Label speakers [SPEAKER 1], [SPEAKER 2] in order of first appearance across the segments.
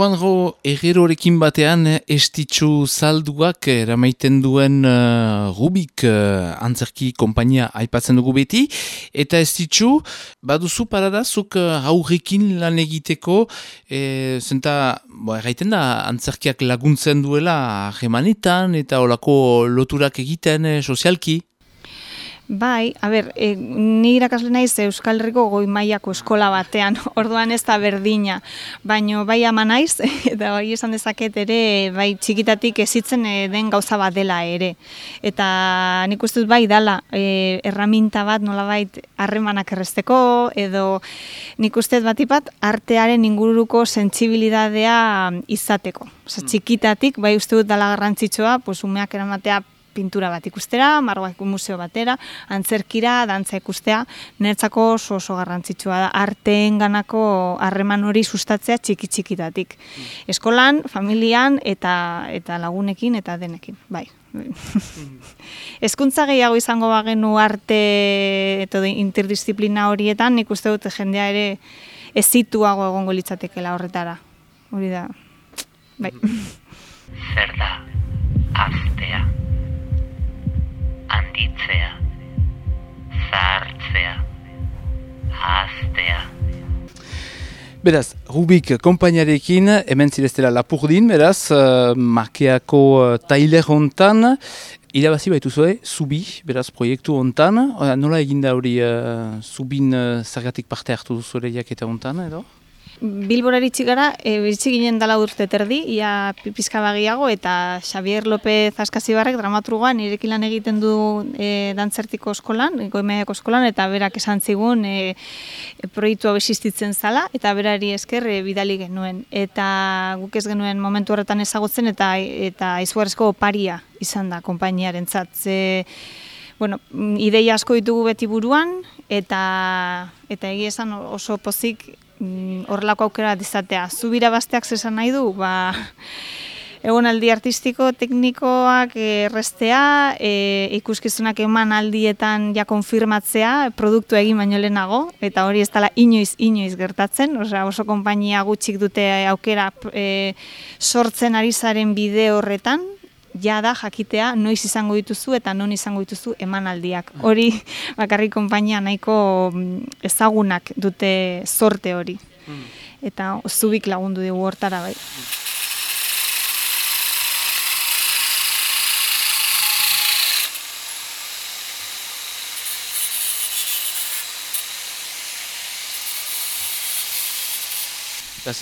[SPEAKER 1] Juanjo Herrerorekin batean estitxu salduak eramaiten duen Rubik antzerki konpainia aipatzen dugu beti. Eta estitxu, baduzu paradazuk haurrekin lan egiteko, zenta, erraiten da, antzerkiak laguntzen duela jemanetan eta olako loturak egiten sozialki.
[SPEAKER 2] Bai, ni irakasle naiz Euskal Herriko goi mailako eskola batean, orduan ez da berdina, baino bai ama naiz, eta bai esan dezaket ere, bai txikitatik ezitzen den gauza bat dela ere. Eta nik uste dut bai dala, erraminta bat nolabait harremanak erresteko, edo nik uste dut batipat artearen inguruko sentsibilidadea izateko. Osa, txikitatik bai uste dut dala garrantzitsua, umeak eramatea pintura bat ikustera, margoak museo batera, antzerkira, dantza ikustea, niretzako oso garrantzitsua da, arteen ganako harreman hori sustatzea txiki-txikitatik. Eskolan, familian eta lagunekin eta denekin, bai. Hezkuntza gehiago izango bagenu arte eta interdisziplina horietan, nik uste dut jendea ere ezituago egongo litzatekela horretara. Hori da, bai.
[SPEAKER 3] Zer da, aztea? Handitzea, zahartzea, ahaztea.
[SPEAKER 1] Beraz, Rubik konpainiarekin, hemen zireztela Lapurdin, beraz, Makeako tailer hontan, irabazi baituzue, Zubi, beraz, proiektu hontan. Nola eginda hori Zubin zergatik parte hartu duzu ere jaketa hontan, edo?
[SPEAKER 2] Bilbora iritsi gara, iritsi ginen dala urte terdi, ia pizka bagiago, eta Xavier López Askazibarrek dramaturgoan nirekin lan egiten du dantzertiko eskolan, goimaiako eskolan, eta berak esan zigun proiektu hau existitzen zala, eta berari esker bidali genuen. Eta guk ez genuen momentu horretan ezagutzen, eta izugarrizko oparia izan da konpainiarentzat. Ideia asko ditugu beti buruan, eta egia esan oso pozik horrelako aukera izatea. Zubira basteak zesan nahi du, egonaldi artistiko, teknikoak errestea, ikuskizunak eman aldietan ja konfirmatzea, produktu egin baino lehenago, eta hori ez dela inoiz gertatzen, oso konpainia gutxik dute aukera sortzen ari zaren bide horretan, ja da jakitea noiz izango dituzu eta non izango dituzu emanaldiak. Hori bakarrik konpainia nahiko ezagunak dute zorte hori. Eta Zubik lagundu dugu hortara bai.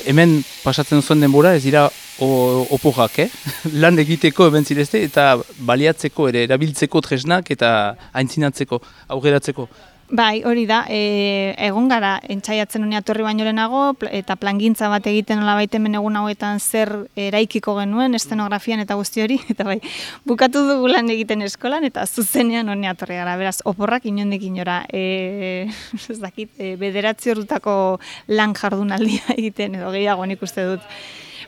[SPEAKER 1] Hemen pasatzen zuen denbora, ez dira oporrak, lan egiteko hemen zirezte eta baliatzeko ere, erabiltzeko tresnak eta aintzinatzeko, aurreratzeko.
[SPEAKER 2] Bai, hori da, egon gara entzaiatzen honia torri baino lehenago eta plangintza bat egiten nola baitemen egun hauetan zer eraikiko genuen, eszenografian eta guzti hori, eta bai, bukatu dugu lan egiten eskolan eta zuzenean honia torri gara, beraz, oporrak inondik inora, ez dakit, 9 ordutako lan jardunaldia egiten edo gehiago nik uste dut.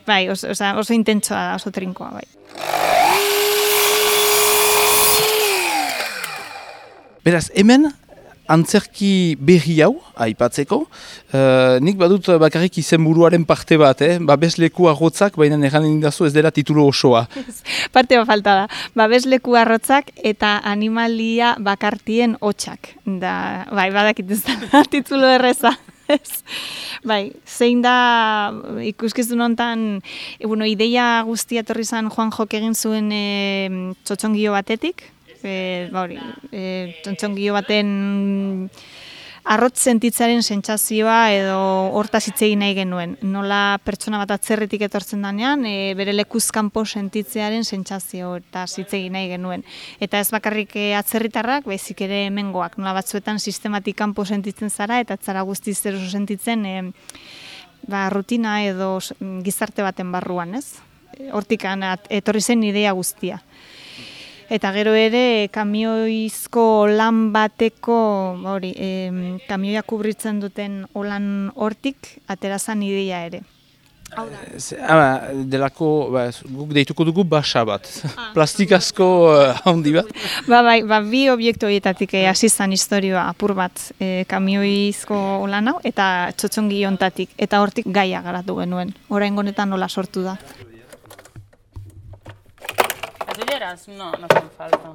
[SPEAKER 2] Bai, oso intentsoa da, oso trinkoa, bai.
[SPEAKER 1] Beraz, hemen, antzerki berri hau, aipatzeko, nik badut bakarrik izenburuaren parte bat, babesleku arrotzak, baina erranen dazu ez dela titulu osoa.
[SPEAKER 2] Parte bat falta da, babesleku arrotzak eta animalia bakartien hotxak. Bai, badakit ez da, titulu erreza. Bai, zein da ikuskizun hontan, ideia guztia etorri zen Juanjok egin zuen txotxongio batetik, txotxongio baten arrotz sentitzaren sentsazioa edo hortaz hitz egin nahi genuen. Nola pertsona bat atzerritik etortzen danean, bere lekuz kanpo sentitzearen sentsazio eta hitz egin nahi genuen. Eta ez bakarrik atzerritarrak, baizik ere hemengoak. Nola batzuetan sistematik kanpo sentitzen zara eta atzara guztiz zer oso sentitzen rutina edo gizarte baten barruan, ez? Hortik etorri zen idea guztia. Eta gero ere, kamioizko lan bateko, kamioia kubritzen duten olan hortik, aterazan ideia ere.
[SPEAKER 1] Delako, guk deituko dugu basa bat, plastikazko handi bat.
[SPEAKER 2] Bai, bi obiektu horietatik hasi zan historioa apur bat kamioizko lan hau eta txotxongi hontatik eta hortik gaia garatu genuen. Oraingo honetan nola sortu da.
[SPEAKER 4] Las olleras no hacen falta.